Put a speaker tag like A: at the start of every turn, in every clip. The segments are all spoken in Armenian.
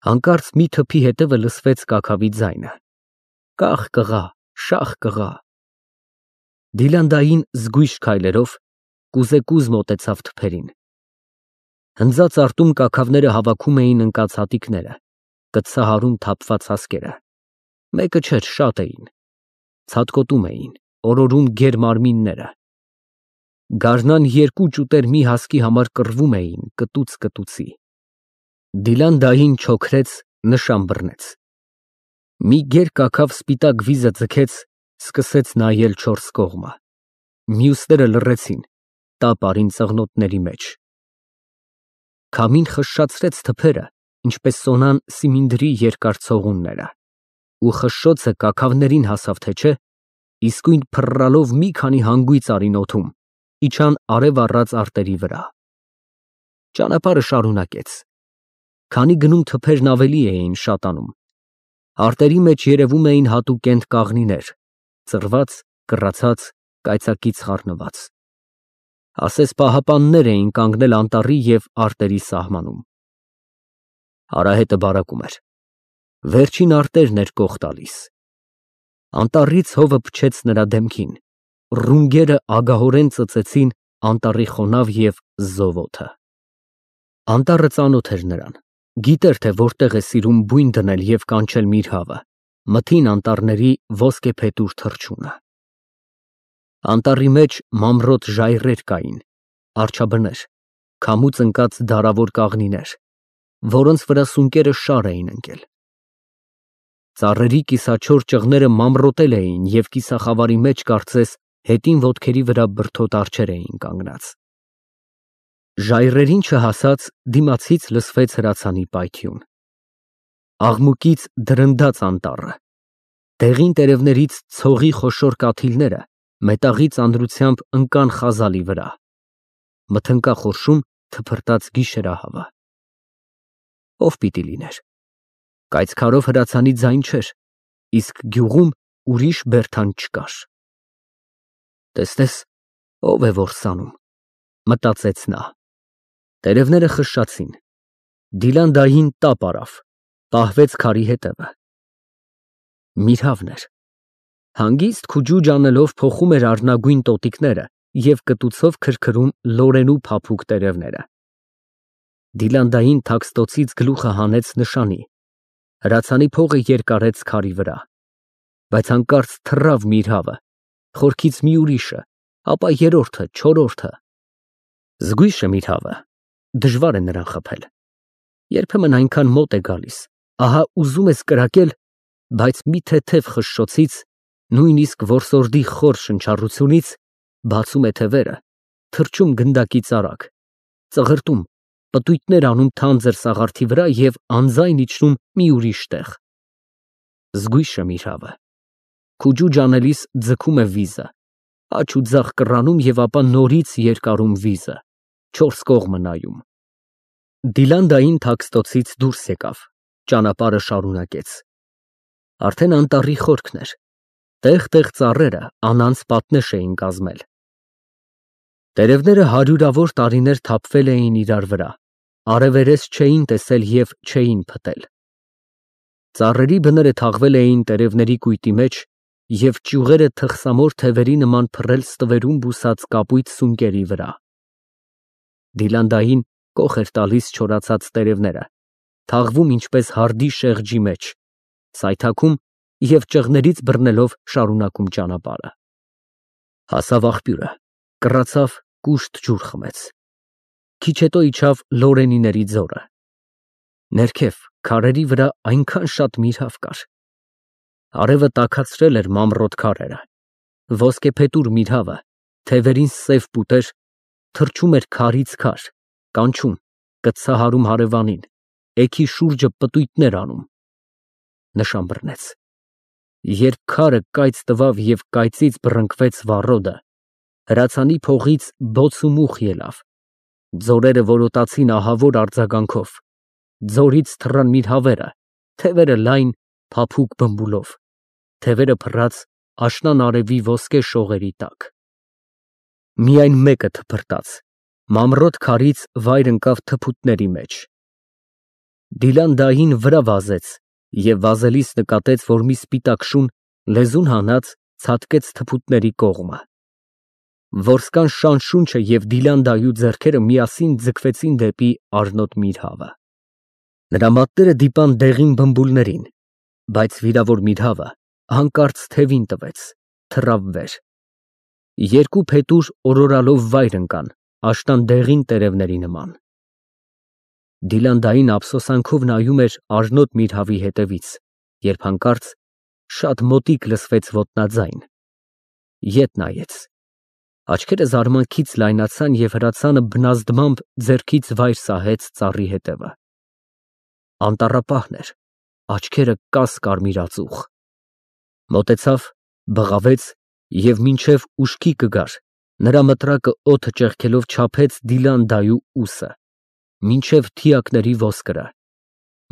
A: Հանկարծ մի թփի հետևը լսվեց կաքավի ձայնը. «Կախ կղա, շաղ կղա»։ Դիլանդային զգույշ քայլերով կուզեկուզ մոտեցավ թփերին։ Հնձած արտում կաքավները հավաքում էին ընկած հատիկները, կծահարում թափված հասկերը։ Մեկը չէր, շատ էին։ Ցատկոտում էին, օրորում գեր մարմինները։ Գարնան երկու ճուտեր մի հասկի համար կռվում էին կտուց կտուցի։ Դիլանդային չոքրեց, նշան բռնեց։ Մի գեր կաքավ սպիտակ վիզը ձգեց, սկսեց նայել չորս կողմը։ Մյուսները լռեցին, տապ արին ծղնոտների մեջ։ Քամին խշշացրեց թփերը, ինչպես սոնան սիմինդրի երկար ցողունները, ու խշշոցը կաքավներին հասավ թե չէ, իսկույն փռռալով մի քանի հանգույց արին օդում, իջան արև առած արտերի վրա։ Ճանապարհը շարունակեց։ Քանի գնում թփերն ավելի էին շատանում։ Արտերի մեջ երևում էին հատուկենտ կաղնիներ, ծռված, կռացած, կայծակից խառնված։ Ասես պահապաններ էին կանգնել անտառի և արտերի սահմանում։ Արահետը բարակում էր։ Վերջին արտերն էր կող տալիս։ Անտառից հովը փչեց նրա դեմքին, ռունգերը ագահորեն ծծեցին անտառի խոնավ և զով օդը։ Անտառը ծանոթ էր նրան, գիտեր, թե որտեղ է սիրում բույն դնել և կանչել միրհավը, մթին անտառների ոսկեփետուր թռչունը։ Անտառի մեջ մանրոտ ժայռեր կային, արջաբներ, քամուց ընկած դարավոր կաղնիներ, որոնց վրա սունկերը շար էին ընկել։ Ծառերի կիսաչոր ճղները մանրոտել էին և կիսախավարի մեջ կարծես հետին ոտքերի վրա բրդոտ արջեր էին կանգնած։ Ժայռերին չհասած դիմացից լսվեց հրացանի պայթյուն։ Աղմուկից դրնդաց անտառը։ Դեղին տերևներից ցողի խոշոր կաթիլները մետաղի ծանրությամբ ընկան խազալի վրա։ Մթնկա խորշում թփրտաց գիշերահավը։ Ո՞վ պիտի լիներ։ Կայծքարով հրացանի ձայն չէր, իսկ գյուղում ուրիշ բերդան չկար։ Տես, ո՞վ է որ սանում, մտածեց նա։ Տերևները խշշացին։ Դիլանդային տապ արավ, պահվեց քարի հետևը։ Միրհավն էր։ Հանգիստ քուջուջ անելով փոխում էր առնագույն տոտիկները և կտուցով քրքրում լորենու փափուկ տերևները։ Դիլանդային թաքստոցից գլուխը հանեց նշանի, հրացանի փողը երկարեց քարի վրա։ Բայց հանկարծ թռավ միրհավը, խորքից մի ուրիշը, ապա երրորդը, չորրորդը։ Զգույշ է միրհավը, դժվար է նրան խփել։ Երբեմն այնքան մոտ է գալիս, ահա ուզում ես կրակել, բայց մի թեթև խշշոցից, նույնիսկ որսորդի խոր շնչառությունից բացում է թևերը, թռչում գնդակից արագ, ծղրտում, պտույտներ անում թանձր սաղարթի վրա և անձայն իջնում մի ուրիշ տեղ։ Զգույշ է միրհավը։ Քուջուջ անելիս ձգում է վիզը, աջ ու ձախ կռանում և ապա նորից երկարում վիզը, չորս կողմը նայում։ Դիլանդային թաքստոցից դուրս եկավ, ճանապարհը շարունակեց։ Արդեն անտառի խորքն էր։ Տեղ֊տեղ ծառերը անանց պատնեշ էին կազմել։ Տերևները հարյուրավոր տարիներ թափվել էին իրար վրա, արևերես չէին տեսել և չէին փտել։ Ծառերի բները թաղվել էին տերևների կույտի մեջ և ճյուղերը թխսամոր թևերի նման փռել ստվերում բուսած կապույտ սունկերի վրա։ Դիլանդային կոխ էր տալիս չորացած տերևները, թաղվում ինչպես հարդի շեղջի մեջ, սայթաքում և ճղներից բռնելով շարունակում ճանապարհը։ Հասավ աղբյուրը, կռացավ, կուշտ ջուր խմեց։ Քիչ հետո իջավ Լորենիների ձորը։ Ներքև, քարերի վրա այնքան շատ միրհավ կար։ Արևը տաքացրել էր մանրոտ քարերը։ Ոսկեփետուր միրհավը, թևերին սև պուտեր, թռչում էր քարից քար, կանչում, կծահարում հարևանին, էգի շուրջը պտույտներ անում։ Նշան բռնեց։ Երբ քարը կայծ տվավ և կայծից բռնկվեց վառոդը, հրացանի փողից բոց ու մուխ ելավ։ Ձորերը որոտացին ահավոր արձագանքով։ Ձորից թռան միրհավերը, թևերը լայն, փափուկ բմբուլով, թևերը փռած աշնան արևի ոսկե շողերի տակ։ Միայն մեկը թփրտաց, մանրոտ քարից վայր ընկավ թփուտների մեջ։ Դիլանդային վրա վազեց և վազելիս նկատեց, որ մի սպիտակ շուն լեզուն հանած ցատկեց թփուտների կողմը։ Որսկան շան շունչը և Դիլանդայի ձեռքերը միասին ձգվեցին դեպի Առնոտ Միրհավը։ Նրա մատները դիպան դեղին բմբուլներին, բայց վիրավոր Միրհավը հանկարծ թևին տվեց, թռավ վեր։ Երկու փետուր օրորալով վայր ընկան, աշնան դեղին տերևների նման։ Դիլանդային ափսոսանքով նայում էր Առնոտ Միրհավի հետևից, երբ հանկարծ շատ մոտիկ լսվեց ոտնաձայն։ Ետ նայեց։ Աչքերը զարմանքից լայնացան և հրացանը բնազդմամբ ձեռքից վայր սահեց ծառի հետևը։ Անտառապահն էր, աչքերը կաս֊կարմիրածուխ։ Մոտեցավ, բղավեց և մինչև ուշքի կգար, նրա մտրակը օդը ճեղքելով չափեց Դիլանդայի ուսը, մինչև թիակների ոսկրը,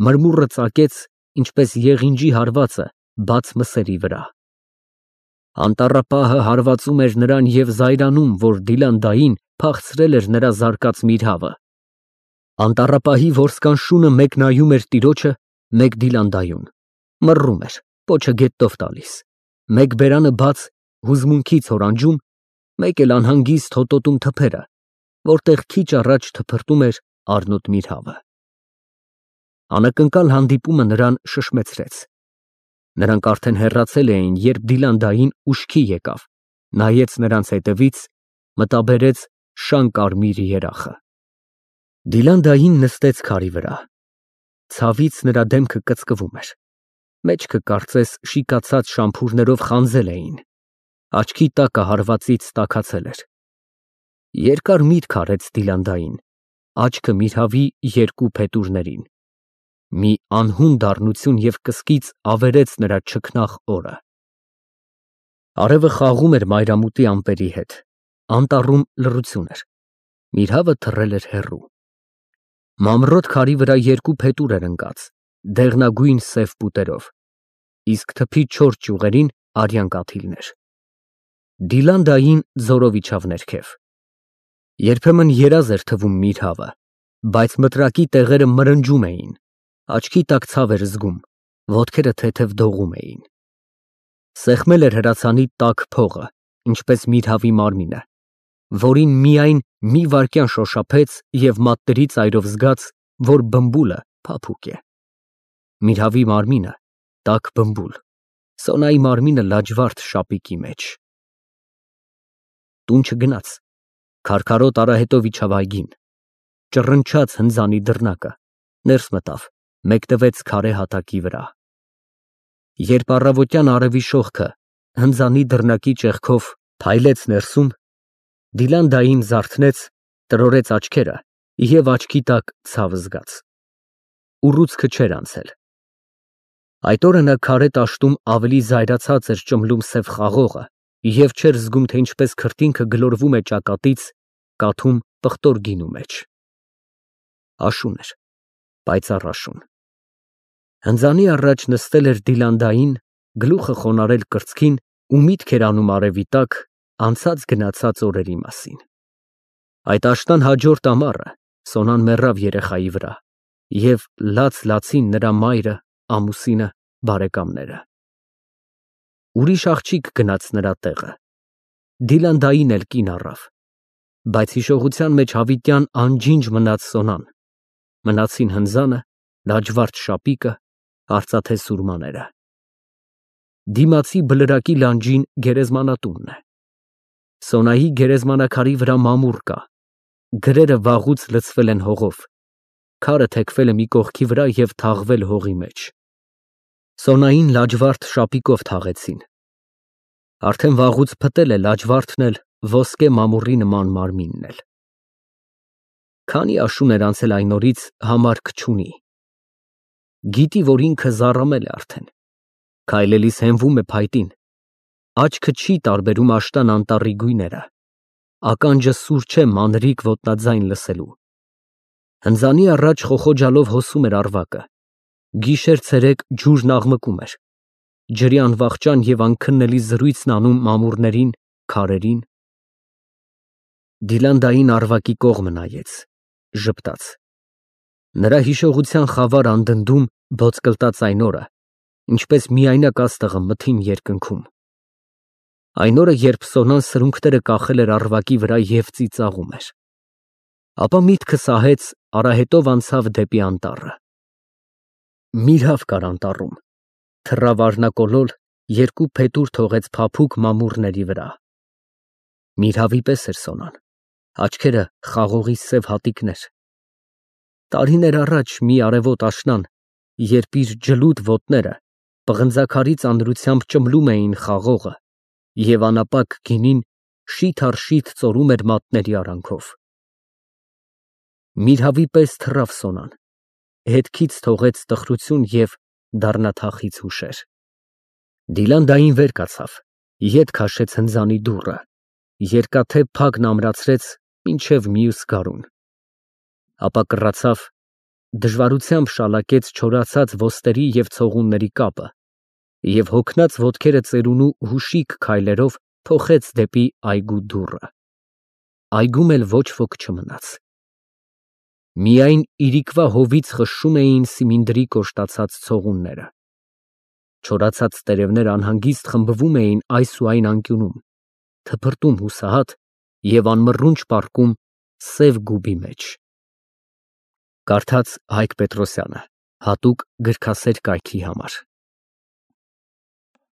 A: մրմուռը ծակեց, ինչպես եղինջի հարվածը բաց մսերի վրա։ Անտառապահը հարվածում էր նրան և զայրանում, որ Դիլանդային փախցրել էր նրա զարկած Միրհավը։ Անտառապահի որսկան շունը մեկ նայում էր տիրոջը, մեկ Դիլանդայուն, մռռում էր, պոչը գետով տալիս, մեկ բերանը բաց հուզմունքից հորանջում, մեկ էլ անհանգիստ հոտոտում թփերը, որտեղ քիչ առաջ թփրտում էր Առնոտ Միրհավը։ Անակնկալ հանդիպումը նրան շշմեցրեց։ Նրանք արդեն հեռացել էին, երբ Դիլանդային ուշքի եկավ, նայեց նրանց հետևից, մտաբերեց շան կարմիր երախը։ Դիլանդային նստեց քարի վրա։ Ցավից նրա դեմքը կծկվում էր։ Մեջքը կարծես շիկացած շամփուրներով խանձել էին։ Աչքի տակը հարվածից տաքացել էր։ Երկար միտք արեց Դիլանդային, աչքը Միրհավի երկու փետուրներին։ Մի անհուն դառնություն և կսկիծ ավերեց նրա չքնաղ օրը։ Արևը խաղում էր մայրամուտի ամպերի հետ, անտառում լռություն էր, Միրհավը թռել էր հեռու։ Մանրոտ քարի վրա երկու փետուր էր ընկած, դեղնագույն սև պուտերով, իսկ թփի չորս ճյուղերին արյան կաթիլներ։ Դիլանդային ձորով իջավ ներքև։ Երբեմն երազ էր թվում Միրհավը, բայց մտրակի տեղերը մրնջում էին, աչքի տակ ցավ էր զգում, ոտքերը թեթև դողում էին։ Սեղմել էր հրացանի տաք փողը, ինչպես Միրհավի մարմինը, որին միայն մի վայրկյան շոշափեց և մատների ծայրով զգաց, որ բմբուլը փափուկ է։ Միրհավի մարմինը տաք բմբուլ, Սոնայի մարմինը լաջվարդ շապիկի մեջ։ Տուն չգնաց, քարքարոտ արահետով իջավ այգին, ճռնչաց հնձանի դռնակը, ներս մտավ, մեկնվեց քարե հատակի վրա։ Երբ առավոտյան արևի շողքը հնձանի դռնակի ճեղքով փայլեց ներսում, Դիլանդային զարթնեց, տրորեց աչքերը և աչքի տակ ցավ զգաց։ Ուռուցքը չէր անցել։ Այդ օրը նա քարե տաշտում ավելի զայրացած էր ճմլում սև խաղողը և չէր զգում, թե ինչպես քրտինքը գլորվում է ճակատից, կաթում պղտոր գինու մեջ։ Աշուն էր, պայծառ աշուն։ Հնձանի առաջ նստել էր Դիլանդային, գլուխը խոնարհել կրծքին ու միտք էր անում արևի տակ անցած գնացած օրերի մասին։ Այդ աշնան հաջորդ ամառը Սոնան մեռավ երեխայի վրա և լաց֊լացին նրա մայրը, ամուսինը, բարեկամները։ Ուրիշ աղջիկ գնաց նրա տեղը։ Դիլանդային էլ կին առավ, բայց հիշողության մեջ հավիտյան անջինջ մնաց Սոնան, մնացին հնձանը, լաջվարդ շապիկը, արծաթե սուրմաները։ Դիմացի բլրակի լանջին գերեզմանատունն է։ Սոնայի գերեզմանակարի վրա մամուռ կա, գրերը վաղուց լցվել են հողով, քարը թեքվել է մի կողքի վրա և թաղվել հողի մեջ։ Սոնային լաջվարդ շապիկով թաղեցին։ Արդեն վաղուց փտել է լաջվարդն էլ, ոսկե մամուռի նման մարմինն էլ։ Քանի աշուն էր անցել այն օրից, համարք չունի։ Գիտի, որ ինքը զառամել է արդեն, քայլելիս հենվում է փայտին, աչքը չի տարբերում աշնան անտառի գույները, ականջը սուր չէ մանրիկ ոտնաձայն լսելու։ Հնձանի առաջ խոխոջալով հոսում էր առվակը, գիշեր֊ցերեկ ջուրն աղմկում էր, ջրի անվախճան և անքննելի զրույցն անում մամուռներին, քարերին։ Դիլանդային առվակի կողմը նայեց, ժպտաց։ Նրա հիշողության խավար անդնդում ոսկլտած այն օրը, ինչպես միայնակ աստղը մթին երկնքում։ Այն օրը, երբ Սոնան սրունքները կախել էր առվակի վրա և ծիծաղում էր։ Ապա միտքը սահեց, արահետով անցավ դեպի անտառը։ Միրհավ կար անտառում, թռավ արնակոլոլ, երկու փետուր թողեց փափուկ մամուռների վրա։ Միրհավի պես էր Սոնան, աչքերը խաղողի սև հատիկներ։ Տարիներ առաջ մի արևոտ աշնան, երբ իր ջլուդ ոտները պղնձաքարի ծանրությամբ ճմլում էին խաղողը և անապակ գինին շիթ առ շիթ ծորում էր մատների արանքով։ Միրհավի պես թռավ Սոնան, հետքից թողեց տխրություն և դառնաթախիծ հուշեր։ Դիլան վեր կացավ, ետ քաշեց հնձանի դուռը, երկաթե փագն ամրացրեց մինչև մյուս գարուն։ Ապա կռացավ, դժվարությամբ շալակեց չորացած ոսტերի և ցողունների կապը և հոգնած ոտքերը ծերունու հուշիկ քայլերով փոխեց դեպի այգու դուռը։ Այգում էլ ոչ ոք չմնաց։ Միայն իրիկվա հովից խշշում էին սիմինդրի կոշտացած ցողունները։ Չորացած տերևներ անհանգիստ խմբվում էին այս ու այն անկյունում, թփրտում հուսահատ և անմռունչ պառկում սև գուբի մեջ։ Կարդաց Հայկ Պետրոսյանը, հատուկ գրքասեր կայքի համար։